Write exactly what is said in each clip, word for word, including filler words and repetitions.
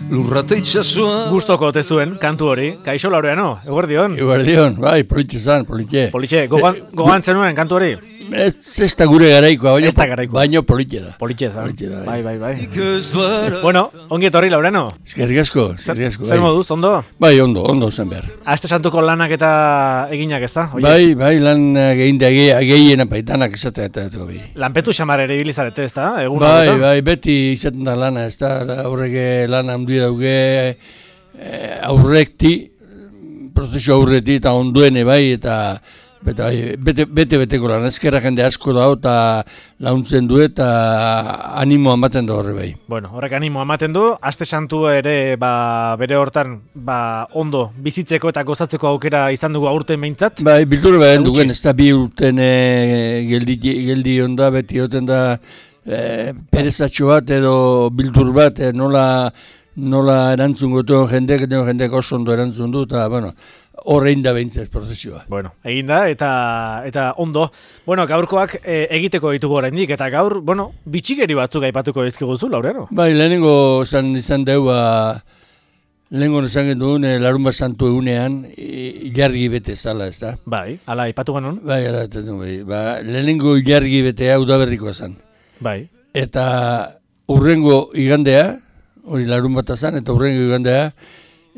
lurrate itxasua. Gustoko ote zuen kantu hori. Kaixo Laureano, eguerdion. Eguerdion, bai, politxe zan, politxe. Politxe, gogan, gogan zenuen kantu hori? Ez, ez da gure garaikoa, baino, Ez da garaikoa. baino politxe da. Politxe zan. Politxe da, Bai, bai, bai. Bueno, ongi etorri Laureano. Eskerrik asko, eskerrik asko. Zer bai. moduz, ondo? Bai, ondo, ondo zen behar. Aste santuko lanak eta eginak ez da? Bai, bai, lan egin da gehiena paitanak esatea eta eta bai. Lanpetu xamar ere ibilizarete ez da? Egun Bai, hauetan? bai, beti izaten da lana, ez da, aurreke lan handi dauge, eh, aurrekti, prozesu aurreti eta onduene bai, eta Bete, bete, bete beteko lan, ezkerra jende asko dago eta launtzen du eta animo ematen da horre bai. Bueno, horrek animo ematen du, aste santu ere ba, bere hortan ba, ondo bizitzeko eta gozatzeko aukera izan dugu aurten behintzat. Bai, bildur behar dugen, ez da bi urten e, geldi, geldi onda, beti oten da e, perezatxo bat edo bildur bat, e, nola, nola erantzun gotu jendek, jendek oso ondo erantzun du, eta bueno, horrein da behintzat prozesioa. Bueno, egin da, eta, eta ondo. Bueno, gaurkoak e, egiteko ditugu oraindik eta gaur, bueno, bitxikeri batzuk aipatuko dizkiguzu, Laureano. Bai, lehenengo izan, izan deu, ba, lehenengo izan genduen, e, larun bat santu egunean, ilargi bete zala, ez da? Bai, ala, aipatu genuen. Bai, ala, ez da, bai. Ba, lehenengo ilargi betea udaberrikoa zen. Bai. Eta urrengo igandea, hori larun bat zan, eta urrengo igandea,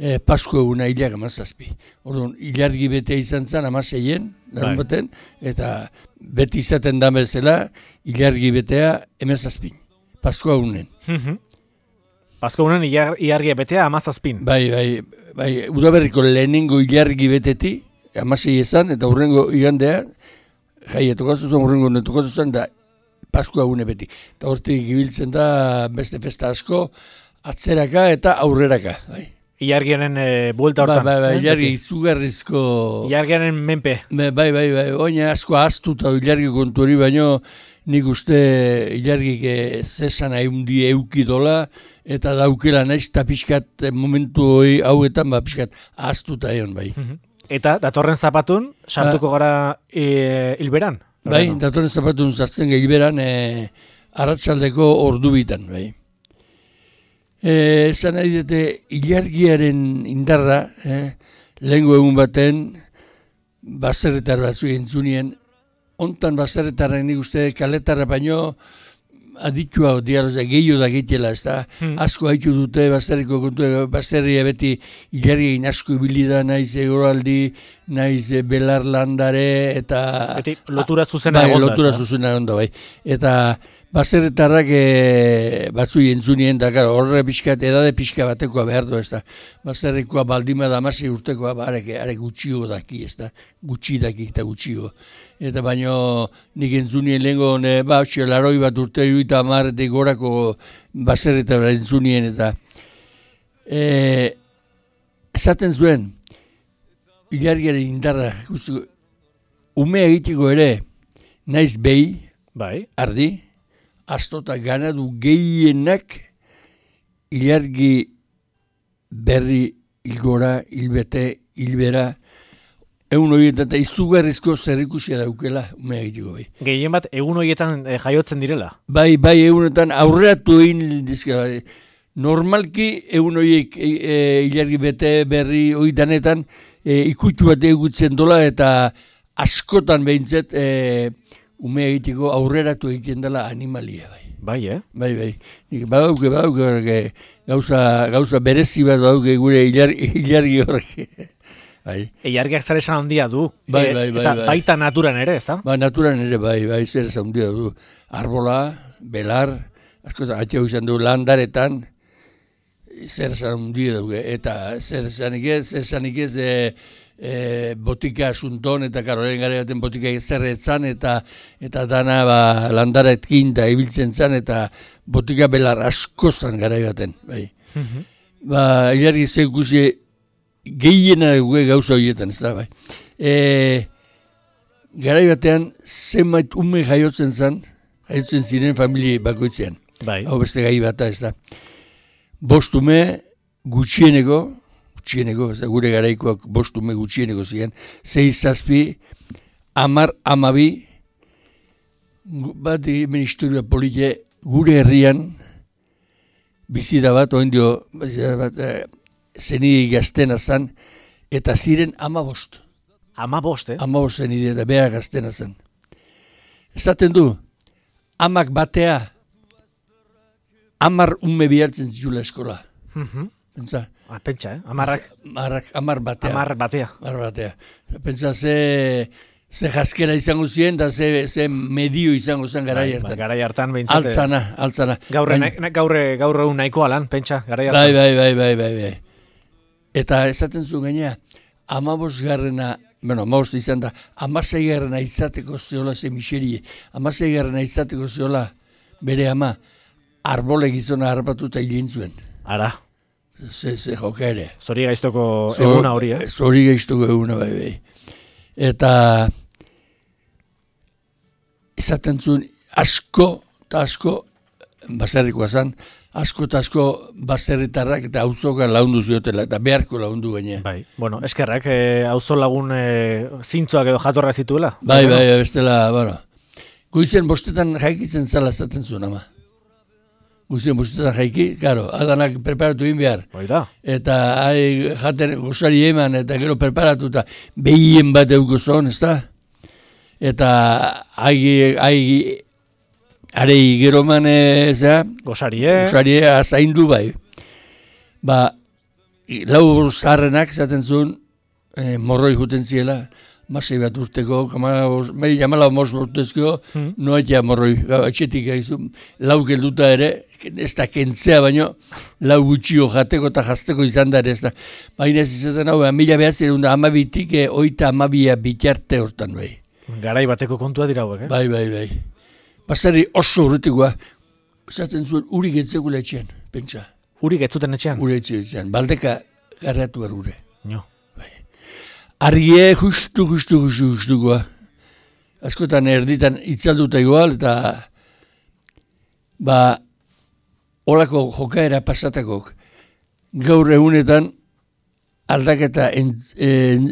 E, Pasko eguna hilak amazazpi. Orduan, ilargi bete izan zen amaseien, darun baten, eta beti izaten da bezala, ilargi betea emezazpin. Pasko egunen. Pasko egunen ilargi betea amazazpin. Bai, bai, bai, udaberriko lehenengo ilargi beteti, amasei izan, eta urrengo igandea, jai, etokatu zen, urrengo netokatu zen, da Pasko egune beti. Eta hortik gibiltzen da beste festa asko, atzeraka eta aurreraka, bai. Ilargiaren e, buelta hortan. Bai, bai, bai, ilargi izugarrizko... Ilargiaren menpe. Bai, bai, bai, bai, oina asko ahaztuta ilargi kontu hori, baino nik uste ilargik zesan haundi eukidola, eta daukela naiz eta pixkat momentu hori hauetan, ba, pixkat ahaztuta egon, bai. Eta datorren zapatun, sartuko ba, gara e, hilberan? Bai, no? Datorren zapatun sartzen gehi hilberan, e, arratsaldeko ordu bitan, bai. Esan nahi dute, ilargiaren indarra, eh, lehengo egun baten, baserretar batzu entzunien, ontan baserretarrak nik uste kaletarra baino aditua dialoza gehiago da gehitela, ez da, hmm. asko haitu dute baserriko kontu, baserria beti ilargien asko ibili da, naiz egoraldi, naiz belar landare, eta... Beti lotura zuzena bai, egonda. Lotura zuzena egonda, bai. Eta baserretarrak e, batzu jentzunien, da, gara, horre pixkat, edade pixka batekoa behar du, ez da. Baserrikoa baldima da amase urtekoa, ba, arek, arek gutxio daki, ez da. Gutxi daki eta gutxio. Eta baino nik entzunien lehenko, ba, hotxe, laroi bat urte eta amaretik gorako baserretara entzunien, eta e, esaten zuen, ilargiaren indarra, umea egiteko ere, naiz behi, bai. Ardi, astota ganadu gehienak ilargi berri hilgora, hilbete, hilbera, egun horietan eta izugarrizko zerrikusia daukela umea egiteko bai. Gehien bat egun horietan e, jaiotzen direla? Bai, bai, egunetan aurreatu egin dizka, bai. Normalki egun horiek e, e, ilargi bete berri horietan e, ikutu bat egutzen dola eta askotan behintzet e, ume egiteko aurreratu egiten dela animalia, bai. Bai, eh? Bai, bai. Nik badauke, badauke, gauza, gauza berezi bat badauke gure ilargi, ilargi horrek. Bai. Ilargiak zer esan handia du. Bai, bai, bai, eta bai. baita naturan ere, ez da? Ba, naturan ere, bai, bai, zer esan handia du. Arbola, belar, askotan, atxau izan du landaretan, zer esan handia dugu. Eta zer esanik ez, zer esanik ez, e, e, botika asunton, eta karoren gara baten botika zerretzan, eta eta dana ba, landaretkin da ibiltzen zan, eta botika belar asko zan gara baten, bai. Mm-hmm. Ba, ilargi zekusi gehiena dugu gauza horietan, ez da, bai. E, garai batean, zenbait ume jaiotzen zen, jaiotzen ziren familie bakoitzean. Bai. Hau beste gai bata, ez da. Bost ume gutxieneko, gutxieneko, ez da, gure garaikoak bost ume gutxieneko ziren, zei zazpi, amar, amabi, bat hemen historia polite, gure herrian, bizida bat, oin dio, bizida bat, e, zeni gaztena zan, eta ziren amabost. Amabost, eh? Amabost zeni eta beha gaztena zan. Esaten du, amak batea, amar ume bihartzen zitula eskola. Mhm. Pentsa. Ah, pentsa, eh? Amarrak. Amarrak, amar batea. Amar batea. Amar batea. Pentsa, ze, ze jaskera izango ziren, da ze, ze medio izango zen garai hartan. Bai, garai hartan behintzate. Altzana, altzana. Gaurre, Bain- na, gaurre, gaurre un nahikoa lan, pentsa, garai hartan. Bai, bai, bai, bai, bai, bai. Eta esaten zuen gainea, amabos garrena, bueno, amabos izan da, amasei garrena izateko zeola ze miserie, amasei garrena izateko zeola bere ama, arbole gizona harrapatuta hilin zuen. Ara, Ze, ze joka ere. zori gaiztoko Zor- eguna hori, eh? Zori gaiztuko eguna, bai, bai. Eta esaten zuen asko eta asko baserrikoa zen, asko eta asko baserritarrak eta auzoka laundu ziotela, eta beharko laundu gaine. Bai, bueno, eskerrak, eh, auzo lagun eh, zintzoak edo jatorra zituela. Bai, Bueno, bai, bestela, bueno. Goizen bostetan jaikitzen zala esaten zuen, ama. Goizen bostetan jaiki, karo, adanak preparatu egin behar. Bai da. Eta hai jaten gozari eman, eta gero preparatu, eta behien bat euko zon, ez da? Eta hai, hai, arei gero man, zera, Gosarie, gozarie azaindu bai. Ba, lau zaharrenak zaten zuen, eh, morroi juten ziela, masei bat urteko, mai jamala mos urtezko, Hmm. noetia morroi, gau, etxetik gaizu, lau gelduta ere, ez da kentzea baino, lau gutxio jateko eta jazteko izan da ere, ez da. Baina ez izaten hau, mila behatzen da amabitik, eh, oita amabia bitarte hortan bai. garai bateko kontua dira hauek, eh? Bai, bai, bai. Basarri oso urretikoa, esaten zuen urik etzekula etxean, pentsa. Urik ez zuten etxean? Ure etxean, baldeka garratu behar ure. Jo. Argie justu, justu, justu, justukoa. Askotan erditan itzalduta igual, eta ba, olako jokaera pasatakok. Gaur egunetan aldaketa en, en,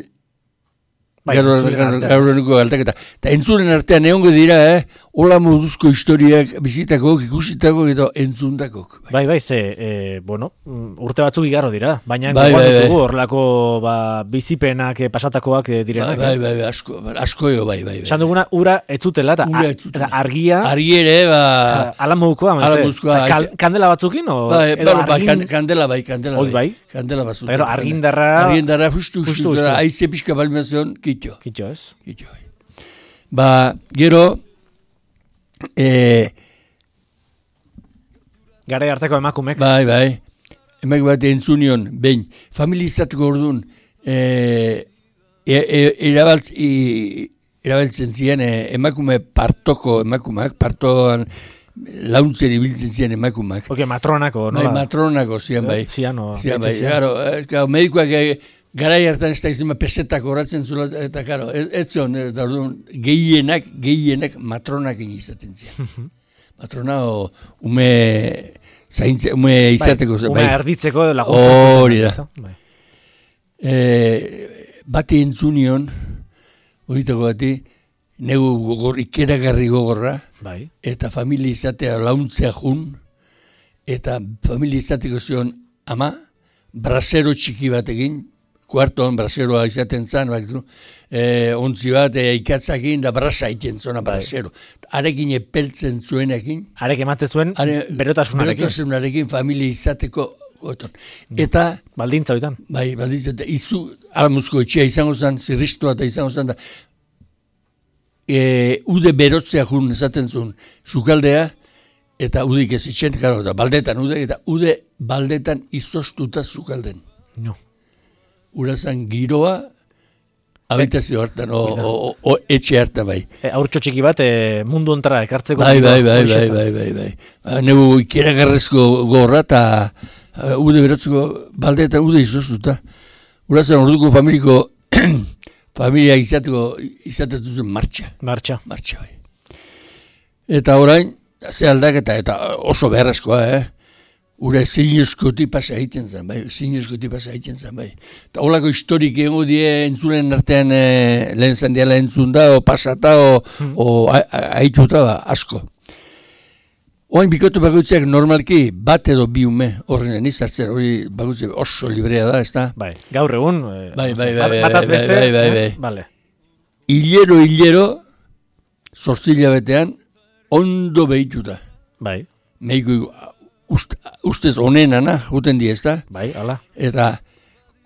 Bai, gaur entzulen artean. gaur eguneko aldaketa. Eta entzulen artean egongo dira, eh? Ola moduzko historiak bizitakok, ikusitako eta entzundakok. Bai, bai, ze, e, bueno, mm, urte batzuk igarro dira. Baina Bai, gogoan bai, bai. ditugu horrelako ba, bizipenak eh, pasatakoak eh, Bai, direnak. bai, eh? bai, bai, asko, asko jo, bai, bai. bai. Esan duguna, ura ez zutela, eta, Ura a- ez zutela. eta argia, Argiere, ba... ala modukoa, ala meze. modukoa, Eta kal, aize- kandela batzukin, o, Bai, edo bai, bai, argin, kan- kandela bai, kandela Hoi bai. Kandela bat zuten. Gero argindarra- Argindarra justu, Justu, justu, justu. justu. Aize pixka balmezion, kitxo. kitxo ez. Kitxo, bai. Ba, gero, eh, Garai harteko emakumek. bai, bai, emak bat entzunion, behin, familizateko orduan, eh, e, e, erabaltz, i, erabaltzen ziren eh, emakume partoko emakumeak, partoan launtzen ibiltzen ziren emakumeak. Oke, matronako, Bai, nola? matronako zian bai. Zian, o, Zian, bai, deitzen zian. claro, eh, claro, medikoak eh, garai hartan ez da izan pesetak horatzen zula, eta claro, ez, ez zion, eta orduan, gehienak, gehienak matronak izaten zian. Matrona o ume zaintze, ume izateko. Bai, una erditzeko laguntzen. Hori zuten, da. ezta? Bai. E, bati entzunion, horitako bati, negu gogor, ikeragarri gogorra, Bai. eta familia izatea launtzea jun, eta familia izateko zion ama, brasero txiki batekin, kuartoan braseroa izaten zan, bak, e, ontzi bat e, ikatzakin da brasa iten zona brasero. Arekin epeltzen zuenekin, Arek emate zuen are, berotasunarekin. berotasunarekin familia izateko goton. Eta, Baldintza hoitan. bai, balditzen, eta izu, alamuzko etxea izango zen, zirristua eta izango zen, da, e, ude berotzea jun esaten zuen, sukaldea, eta udik ez itxen, karo, eta baldetan ude, eta ude baldetan izostuta sukalden. No. Urazan giroa, habitazio hartan, o, o, o, o etxe hartan bai. E, aurtxo txiki bat e, mundu ontara ekartzeko. Bai, bai, bai, horixe bai, zen. bai, bai, bai. Ba, negu ikeragarrezko gorra eta uh, ude berotzeko baldetan ude izostuta. Urazan orduko familiko, familia izateko, izatetu zen martxa. Martxa. Martxa bai. Eta orain, ze aldaketa, eta oso beharrezkoa, eh? Ura zinezkoti pasa egiten zen, bai, zinezkoti pasa egiten zen, bai. Eta holako historik egongo die entzulen artean e, lehen zandiala entzun da, o pasata, o, Hmm. o a- a- aituta, ba, asko. Oain bikote bakoitzeak normalki bat edo bi ume horren izartzen, hori bakoitze oso librea da, ez da? Bai, gaur egun, bai, bai, bai, bataz beste, bai, bai, bai. Vale. Hilero, hilero, zortzila betean, ondo behituta. Bai. Meiko ust, ustez onenana, juten di, ez da? Bai, ala. Eta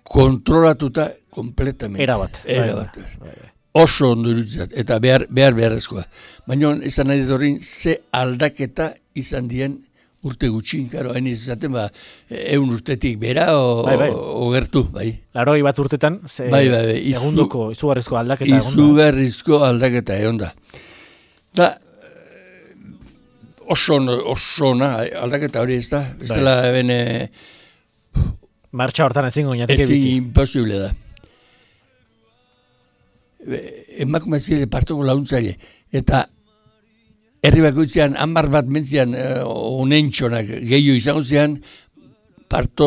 kontrolatuta kompletamente. Erabat. Erabat. Bai, bai, bai. Oso ondo iruditzat, eta behar, behar beharrezkoa. Baina, esan nahi dut horrein, ze aldaketa izan dien urte gutxin, karo, hain izaten, ba, eun urtetik bera, o, bai, bai. o, o gertu, bai. Laroi bat urtetan, ze bai, bai, bai. Izu, egunduko, izugarrizko aldaketa egon da. Izugarrizko aldaketa egon da. Da, oso, oso na, aldaketa hori ez da, ez bai. dela eben... E, martxa hortan ezin goñateke bizi. Ezin imposible da. Emakume zile partoko launtzaile, eta herri bakoitzean hamar bat mentzian uh, onentxonak gehiago izango zean, parto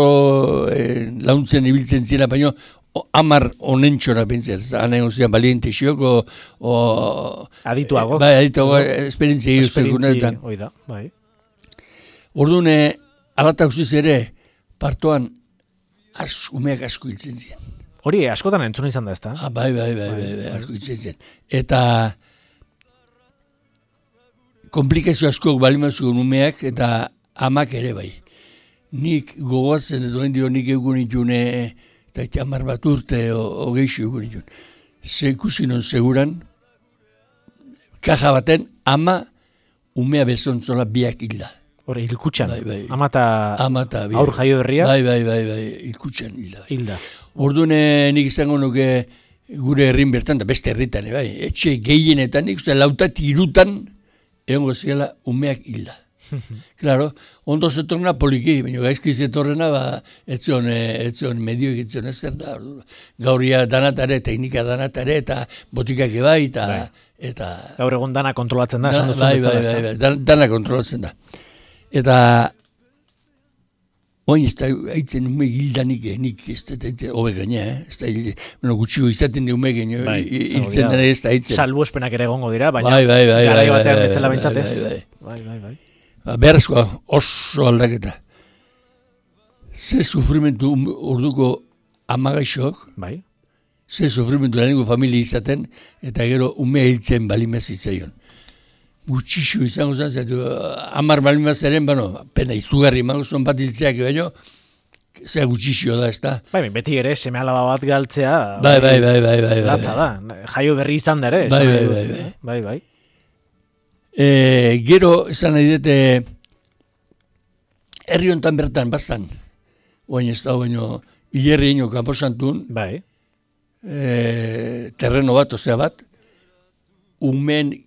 eh, launtzen ibiltzen ziela, baina hamar onentxonak bentzian, hanen zean baliente xioko, o... Adituago. Bai, adituago, esperientzia Esperientzia, oida, bai. Orduan, alatak usiz ere, partoan, az, umeak asko hiltzen ziren. Hori, askotan entzun izan da, ez da? Ah, bai, bai, bai, bai, bai, asko hiltzen ziren. Eta komplikazio askok balimazuen umeak eta amak ere bai. Nik gogoatzen ez duen dio nik egun itune, eta eta hamar bat urte o geixo egun itun. Zekusinon seguran, kaja baten, ama umea bezontzola biak hilda. Hori, hilkutxan. Bai, bai. Amata aur jaio berria. Bai, bai, bai, bai, hilkutxan hilda. Bai. Hilda. Orduan nik izango nuke gure herrin bertan, da beste herritan, bai, etxe gehienetan, nik uste lautatik irutan, egongo ziela umeak hilda. Claro, ondo zetorna poliki, baina gaizki zetorrena, ba, etzion, etzion medio egitzion ez zer da. Gauria danatare, teknika danatare, eta botikak ebai, eta... Bai. eta gaur egun dana kontrolatzen da, esan da, duzun bai, bezala, bai, ez bai, bai, dana kontrolatzen da. Eta... Oin ez da, haitzen ume hildanik, nik ez da, hobe gaina, eh? Ez da, bueno, gutxiko izaten di ume gaina, bai, hiltzen dara ez da haitzen. Salbu espenak ere egongo dira, baina bai, bai, bai, garai bai, batean bai, bezala bai, bentsatez. bai, bai, bai, bai. Ba, beharrezkoa, oso aldaketa. Ze sufrimentu orduko amagaixok, bai. Ze sufrimentu lehenengo familia izaten, eta gero umea hiltzen balimaz itzaion. Gutxixo izango zen, zaitu, hamar balimaz eren, bueno, pena izugarri magozon bat hiltzeak, baino, zea gutxixo da, ez da. Bai, beti ere, seme alaba bat galtzea, bai, bai, bai, bai, bai, latza da. Jaio berri izan da ere, bai, esan bai, nahi bai, dut, bai. eh? bai, bai. E, gero, esan nahi dute, herri hontan bertan, bastan, oain ez da, baino, hilerri ino kanposantun, bai. e, terreno bat, osea bat, umen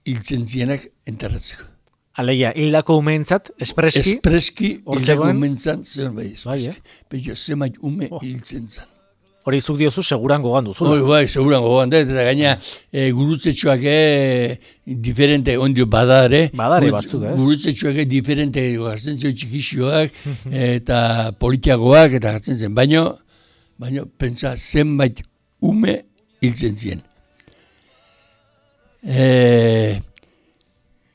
hiltzen zienak enterratzeko. Alegia, hildako umeentzat, espreski, Espreski, hor hildako zegoen? umeentzat, zegoen bai, espreski. Bai, eh? Peio, zemait ume Oh. hiltzen zan. hori zuk diozu seguran gogan duzu. Hori bai, seguran gogoan da, eta gaina e, gurutzetxoak e, diferente, ondio badare. Badare batzuk, ez? Gurutzetxoak e, diferente gartzen zen txikixoak, eta politiagoak, eta gartzen zen. Baina, baina, pentsa, zenbait ume hiltzen zien. E,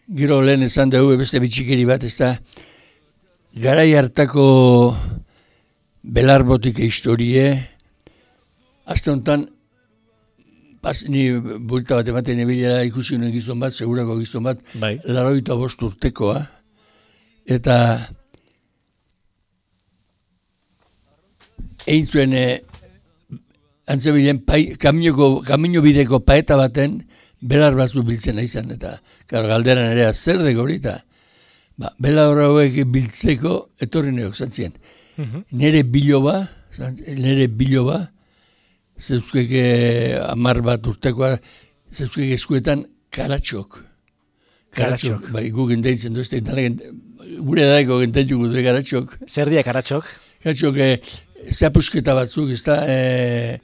gero lehen esan dugu beste bitxikeri bat, ez da, garai hartako belarbotik historie, azte honetan, pas, ni bulta bat ematen ebilela ikusi nuen gizon bat, segurako gizon bat, Bai. laroita bost urtekoa, eta egin zuen e, antzebilen kamino, kamino bideko paeta baten, belar batzu biltzen izan, eta karo, galderan ere zer deko hori, eta ba, belar hauek biltzeko etorri neok zantzien. Mhm. Nere biloba, nere biloba, zeuzkeke amar bat urtekoa, zeuzkeke eskuetan karatxok. Karatxok. Bai, gu gendeitzen duzte, gure daiko gendeitzen dute karatxok. Zer dia karatxok? Karatxok, e, zeapusketa batzuk, ez da, e,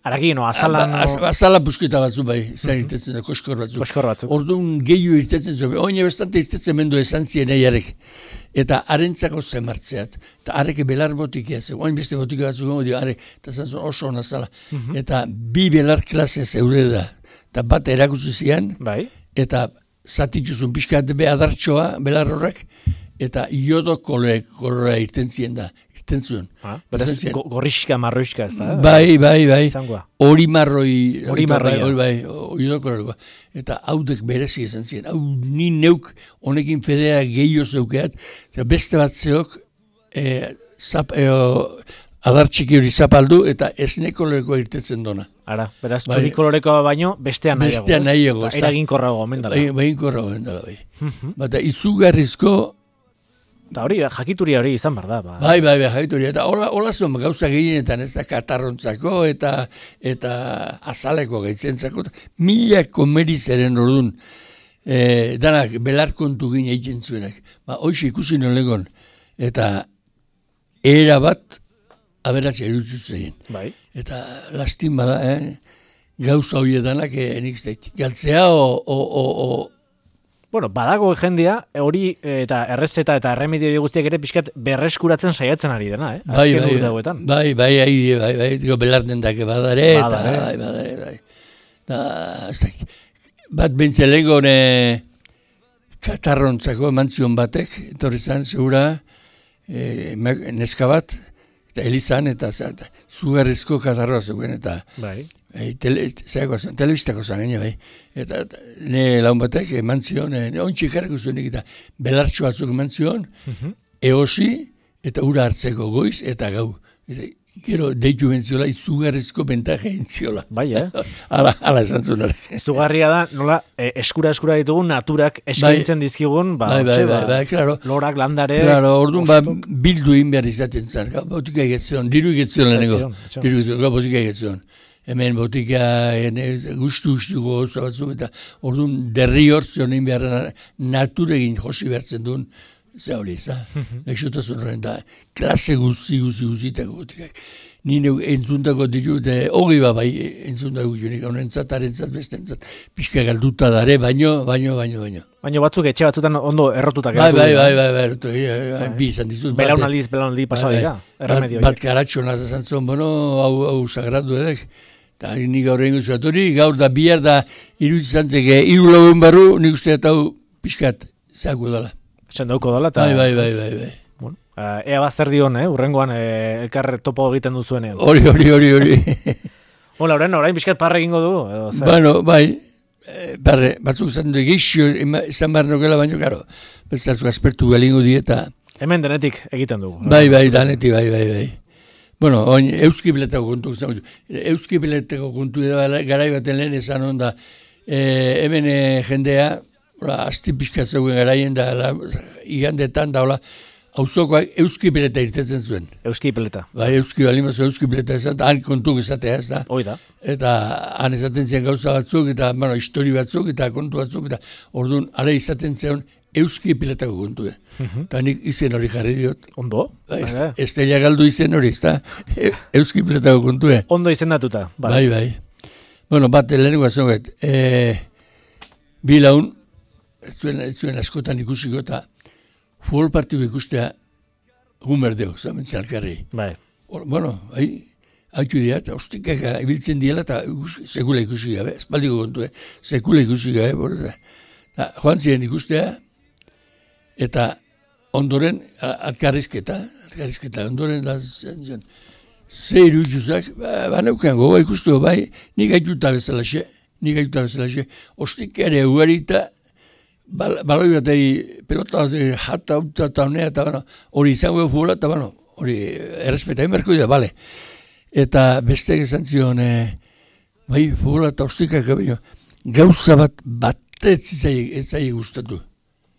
Aragino, azalan... Az, azala pusketa batzu bai, zer irtetzen da, koskor batzuk. Koskor batzuk. Orduan gehiu irtetzen zuen, oine bestante irtetzen mendu esan zien eiarek. Eta arentzako zemartzeat, eta areke belar botikia zen, oin beste botika batzuk gongo dio, arek, eta zantzun oso hona zala. Eta bi belar klase zeure da, eta bat erakutsi zian, Bai. eta zatituzun pixkat be adartxoa, belar horrek, eta iodo kolore, kolora irten zien da, irten zuen. Ah, beraz, go, gorrixka, marroixka ez da? Bai, bai, bai. Izangoa. Hori marroi, hori marroi, bai, bai, iodo koloreko. Eta haudek berezi esan zien. Hau ni neuk honekin fedea gehiago zeukeat, eta beste bat zeok, e, zap, e, adartxiki hori zapaldu, eta esne koloreko irtetzen dona. Ara, beraz, bai, txuri kolorekoa baino, bestean nahiago. Bestean nahiago. Eraginkorrago, mendala. Bai, eraginkorrago, mendala, bai. Bata, izugarrizko. Eta hori, jakituria hori izan behar da. Ba. Bai, bai, bai, jakituria. Eta hola, hola zuen gauza gehienetan, ez da katarrontzako eta eta azaleko gaitzentzako. Mila komerizaren orduan, e, danak belarkontu gine egiten zuenak. Ba, hoxe ikusi nolegon. Eta era bat aberatza erutzu zein. Bai. Eta lastin bada, eh? Gauza horiedanak eh, nik zait. Galtzea o... o, o, o Bueno, badago jendia, hori eta errezeta eta erremedio guztiak ere pixkat berreskuratzen saiatzen ari dena, eh? Bai, Azken bai, urte hauetan. Bai, bai, bai, bai, bai, bai, belarden dake badare, eta, badare. bai, badare, bai. Da, ez dakit. Bat bentzelego ne katarrontzako emantzion batek, etorri zan, segura, e, neska bat, eta elizan, eta zugarrizko katarroa zuen, eta... Bai. Bai, tele, zan, telebistako zan, gaine, bai. Eta ne laun batek eman zion, e, ontsi jarriko zuenik, eta belartxo batzuk eman zion, uh-huh. eosi, eta ura hartzeko goiz, eta gau. Eta, gero, deitu bentziola, izugarrizko bentaje entziola. Bai, eh? ala, ala esan zuen. Izugarria da, nola, eh, eskura-eskura ditugun naturak eskaintzen bai, dizkigun, ba, bai, bai, otxe, bai, bai, claro. Lorak, landare... Claro, orduan, ba, bildu egin behar izaten zan. Botika egetzion, diru egetzion lehenengo. Diru egetzion, botika egetzion. Hemen botika guztu-guztu goza batzuk, eta orduan derri hortzion egin behar naturegin josi behartzen duen, ze hori, ez da? Lexotasun horren da, klase guzti, guzti, guztitako botikak. Nire entzuntako ditut, hori ba bai entzuntako junik, honentzat, arentzat, bestentzat, pixka galduta dare, baino, baino, baino, baino. Baino batzuk etxe batzutan ondo errotutak bai, bai, bai, bai, bai, bai, bi izan dizut. Belaunaldiz, belaunaldi pasadika, erremedio. Bat karatxona zazan zon, bueno, hau, hau sagratu edek. Eta nik gaur egin guztu hori, gaur da bihar da iruditzen zantzeke, iru lagun barru, nik uste eta hau pixkat zeako dela. Sendauko dela, eta... Bai, bai, bai, bai, bai. Bueno, uh, ea bazter dion, eh? Urrengoan eh, elkar topo egiten duzuenean. Hori, hori, hori, hori. Hola, orain, orain pixkat parre egingo du? Edo, bueno, bai, parre, batzuk izan du egizio, izan behar nokela, baino, karo, bezaltzuk aspertu galingo dieta. Hemen denetik egiten dugu. Bai, bai, danetik, bai, bai, bai. Bueno, oin, euski biletako kontu, euski biletako kontu garai baten lehen esan onda, e, hemen e, jendea, asti pixka zegoen garaien da, la, igandetan da, auzokoak euski bileta irtetzen zuen. Euski bileta. Bai, euski balimazo euski bileta esan, han kontuk esatea ez da. Hoi da. Eta han esaten ziren gauza batzuk, eta bueno, histori batzuk, eta kontu batzuk, eta orduan, ara izaten ziren, euski piletako kontue. Eta nik izen hori jarri diot. Ondo? Estella galdu izen hori, ez da? Euski piletako kontue. Ondo izendatuta. Bai, bai. Bueno, bat, lehenengo azoget. E, bi laun, ez zuen, ez zuen askotan ikusiko, eta futbol partidu ikustea gumerdeo, zamentzen alkarri. Bai. Or, bueno, bai, haitu dira, eta ostikak ibiltzen diela, eta sekula ikusi gabe, espaldiko kontue, sekula ikusi gabe, eta joan ziren ikustea, eta ondoren alkarrizketa, alkarrizketa, ondoren da zen, ze iruduzak, ba, ba neukan gogoa ikustu, bai, nik aituta bezalaxe, nik aituta bezalaxe, ostik ere ugarita, bal, baloi batei pelota jata, uta, eta honea, eta bueno, hori izango futbola, eta bueno, hori errespeta, emerko dira, bale. Eta beste esan zion, e, bai, futbola eta ostikak, gauza bat, bat, ez zai gustatu.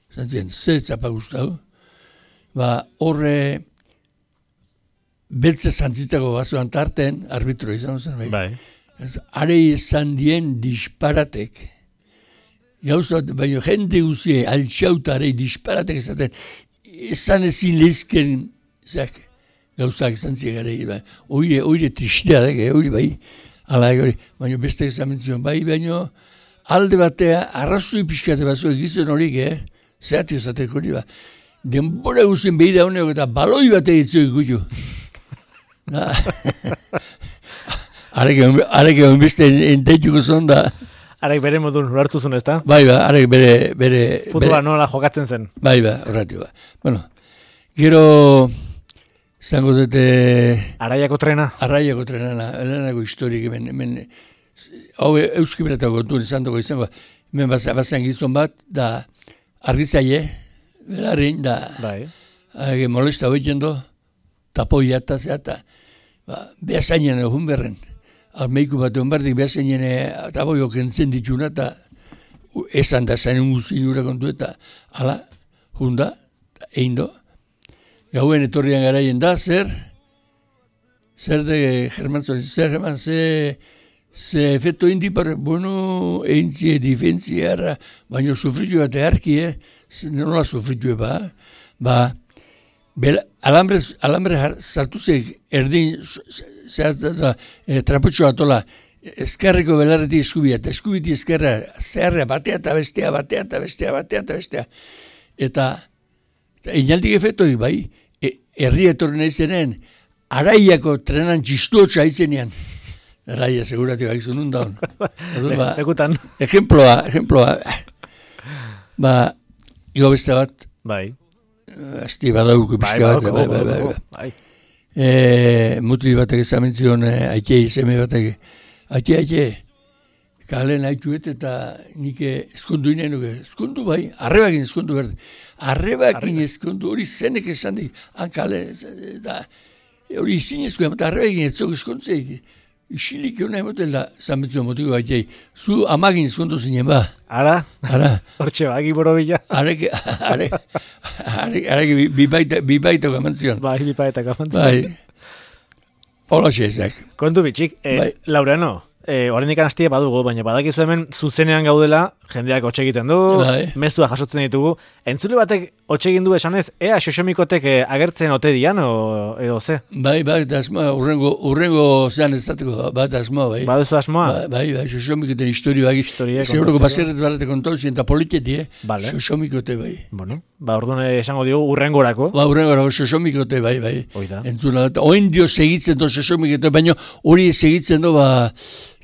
Zantzien, ze zapa gustatu. Ba, horre beltze zantzitako bazuan tarten, arbitro izan zen, bai. Bai. Are izan dien disparatek. Gauza, baina jende guzie, altxauta are disparatek izaten, izan ezin lehizken, zak, gauzak izan ziegare, bai. Oire, oire tristea dek, oire, bai. Ala, hori, baina beste izan mentzion, bai, baina alde batea, arrazoi pixkate batzu egizien horik, eh? Zehatu izateko hori, ba. Denbora guztien behida honek eta baloi batea ditzio ikutu. Areke honbeste enteituko zon da. Arek bere modun ulertuzun, ez da? Bai, ba, arek bere... bere Futbola nola jokatzen zen. Bai, ba, horretu, ba. Bueno, gero... Zango zete... Araiako trena? Araiako trenana, elenako historik, hemen, hemen... Hau euski beretako kontuen izan dugu izango, hemen bazen gizon bat, da argizaile, belarrin, da... Bai. Hage molesta hoiten do, tapoia eta zeata, ba, behazainen egun berren. Almeiku bat egon bardik behazainen tapoio kentzen dituna, eta esan da zain guzin ura kontu eta, ala, junda, egin do. Gauen etorrian garaien da, zer, zer de Germán Zori, zer Germán, ze, ze efecto indi par, bueno, eintzie, difentziara, baina sufritu bat eharki, eh? Nola sufritu ba, ba, bel, alambre, alambre sartu zeg erdin, zehaz, e, trapotxoa tola, eskerreko belarretik eskubia, eta eskubiti eskerra, zeharra, batea eta bestea, batea eta bestea, batea eta bestea. Eta, inaldik efektoi, bai, e, herri etorri nahi zenen, araiako trenan txistuotxa aizenean. Araia, segurati bakizu nun daun. Ba, Lekutan. Ejemploa, ejemploa. Ba, igo beste bat, Bai. asti badauko Bai, pixka bat, badauko, bai, bai, bai, badauko, bai. bai. E, mutli batek ezamentzion, aitei, seme batek, aite, aite, kalen haituet eta nik eskondu inen nuke, eskondu bai, arrebakin eskondu behar, arrebakin eskondu, hori zenek esan dik, han kale, da, hori izin eskondu, eta arrebakin etzok eskontzeik, isilik hona emotel da, zametzua motiko aitei, zu amagin eskondu zinen ba. Ara? Ara. Hortxe bagi borobila. Arek, arek, arek, arek, bibaita, bibaita gamantzion. Bai, bipaetak amantzen. Bai. Hola xezak. Kontu bitxik, e, Bai. Laureano, e, oraindik hastie badugu, baina badakizu hemen zuzenean gaudela, jendeak hotxe egiten du, Bai. mezua jasotzen ditugu. Entzule batek hotxe egin du esanez, ea xoxomikotek e, agertzen ote dian, o, edo ze? Bai, bai, eta asmoa, urrengo, urrengo zean ez zateko, bat asmoa, bai. Baduzu asmoa? Bai, bai, bai, xoxomikoten histori bai. Historia Seguroko kontatzeko. baserret barrete kontauzien, eta politiketi, eh? Vale. Xoxomikote, bai. Bueno, ba orduan esango diogu urrengorako. Ba, urrengo xoxomikote, bai, bai. Oida. Entzuna, oin dio segitzen do xoxomikote, baina hori segitzen do, ba,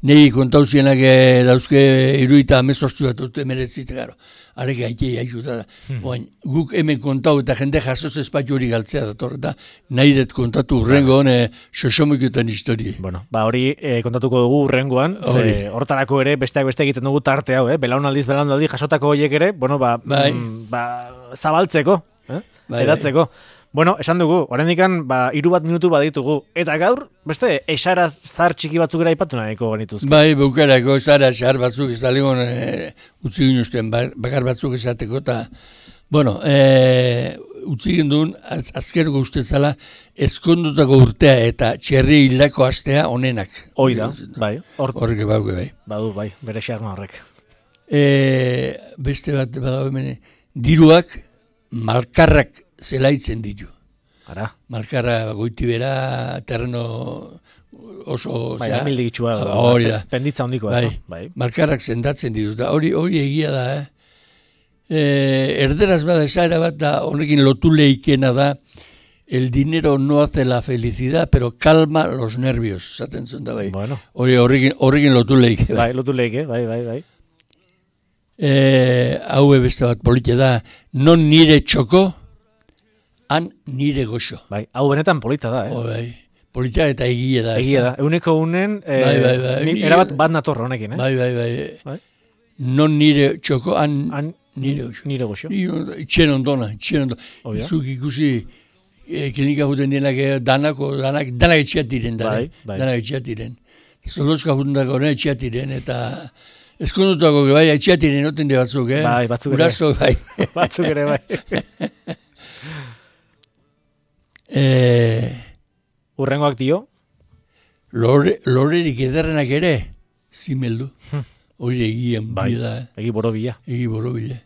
nei kontauzienak eh, dauzke iruita amezortzu bat dute meretzite, garo. Arek aitei aikuta da. Hmm. Oain, guk hemen kontau eta jende jasoz espaitu hori galtzea dator, eta nahi dut kontatu urrengo hone xoxomikoten histori. Bueno, ba hori e, kontatuko dugu urrengoan, Hori. ze hortarako ere besteak beste egiten dugu tarte hau, eh? Belaunaldiz belaunaldi jasotako hoiek ere, bueno, ba, Bai. mm, ba zabaltzeko, eh? Bai, Edatzeko. Bueno, esan dugu, oraindikan ba hiru bat minutu baditugu eta gaur beste esara zar txiki batzuk ere aipatu nahiko genituzke. Bai, bukarako zara xar batzuk ez da legon e, utzi ginuzten bakar batzuk esateko eta, bueno, e, utzi ginduen az, azkerko ustezala eskondutako urtea eta txerri hildako astea onenak. Hoi da, bai, hor, Horrek bauke bai. badu, bai, bere xarma horrek. E, beste bat badago hemen, diruak malkarrak zelaitzen ditu. Ara, Malkarra goiti bera, terreno oso... bai, zera, amildigitsua, hori da. penditza handikoa, Bai. ez da? Bai. Malkarrak sendatzen ditu, eta hori hori egia da, eh? E, erderaz bada esaera bat da, honekin lotu leikena da, el dinero no hace la felicidad, pero calma los nervios, zaten zuen da, bai. Bueno, Hori horrekin, horrekin lotu leike da. bai, lotu leike, bai, bai, bai. E, hau beste bat polite da, non nire txoko, han nire goxo. Bai, hau benetan polita da, eh? Oh, bai. Polita eta egia da. Egia da, ezta? euneko unen, eh, Bai, bai, bai. ni- Ni- erabat bat nator honekin, eh? Bai, bai, bai. Bai. Non nire txoko, han, Han, nire goxo. nire goxo. Ni- Itxen ondona, itxen ondona. Oh, ja. Zuk ikusi e, klinika juten dienak, eh, danako, danak, danak etxeat diren, Bai, danak, bai. danak etxeat diren. Zolozka juten dako, ne etxeat diren, eta eskondutako, bai, etxeat diren, noten de batzuk, eh? Bai, batzuk ere. Guraso, bai. Batzuk ere, bai. e, Urrengoak dio, lore, lorerik ederrenak ere, zimeldu. Hori egian bai, bida, eh? egi borobila. Egi borobile.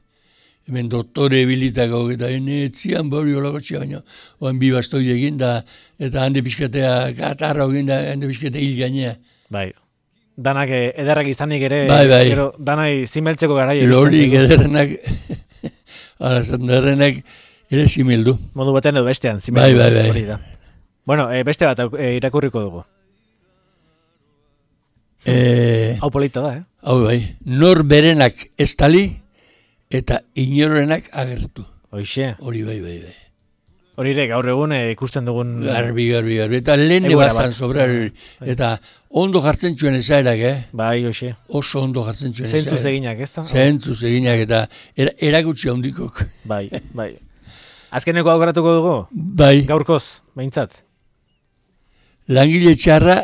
Hemen doktore bilitako eta etzian bori olako txia baino. Oan bi bastoi egin da, eta hande pixkatea gatarra egin da, hande pixkatea hil gainea. Bai. Danak eh, ederrak izanik ere, Bai, bai. gero danai zimeltzeko garaia iristen Lorik zaigu. ederrenak, ara zaten ederrenak ere zimeldu. Modu batean edo bestean, Bai, zimeldu. bai, bai. Hori da. Bueno, eh, beste bat eh, irakurriko dugu. E, Hau polita da, eh? hau bai, nor berenak estali eta inorenak agertu. Hoixe. Hori bai, bai, bai. Hori ere, gaur egun eh, ikusten dugun... Garbi, garbi, garbi. Eta lehen Egoera ebazan bat. sobra. Eta ondo jartzen zuen esaerak, eh? Bai, hoxe. Oso ondo jartzen zuen esaerak. Zentzuz eginak, ez da? Zentzuz eginak eta era, erakutsi handikok. Bai, bai. Azkeneko aukeratuko dugu? Bai, Gaurkoz, behintzat. langile txarra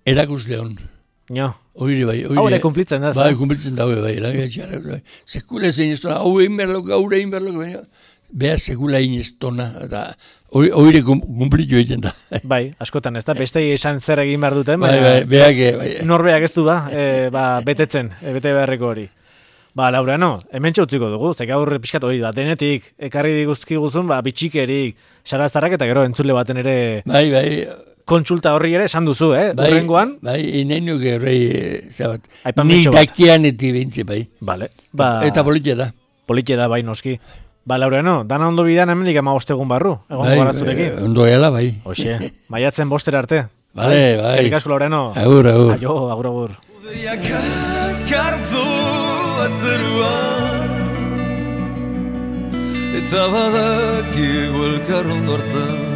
erakusle hon. Nio. Hori bai. Hau ere kumplitzen da, ez da? Bai, kumplitzen daue, bai, langile txarra. Bai. Sekula zein ez tona, hau egin berlok, hau egin berlok, baina beha sekula egin ez tona, eta hori kumplitu egiten da. Bai, askotan, ez da? Bestei esan zer egin behar duten, Bai, baina bai, beak, bai. norbeak ez du ba, e, ba betetzen, e, bete beharreko hori. Ba, Laureano, hemen txautziko dugu, zek gaur pixkat hori, ba, denetik, ekarri diguzki guzun, ba, bitxikerik, sarazarrak eta gero entzule baten ere Bai, bai, kontsulta horri ere esan duzu, eh? bai, Urrengoan, bai, inenuk errei, zabat, Aipamentxo ni bat. dakianetik behintze, bai. Vale. Ba, Eta politia da. politia da bai noski. Ba, Laureano, dana ondo bidan hemendik ama bostegun barru, egon Bai, gara zurekin. eh, ondo gela, bai. Hoxe, maiatzen bostera arte. Bale, bai. Eskerrik asko, Laureano. Agur, agur. Aio, agur, agur. Udeiak azkartu azeruan, eta badakigu elkar ondortzen.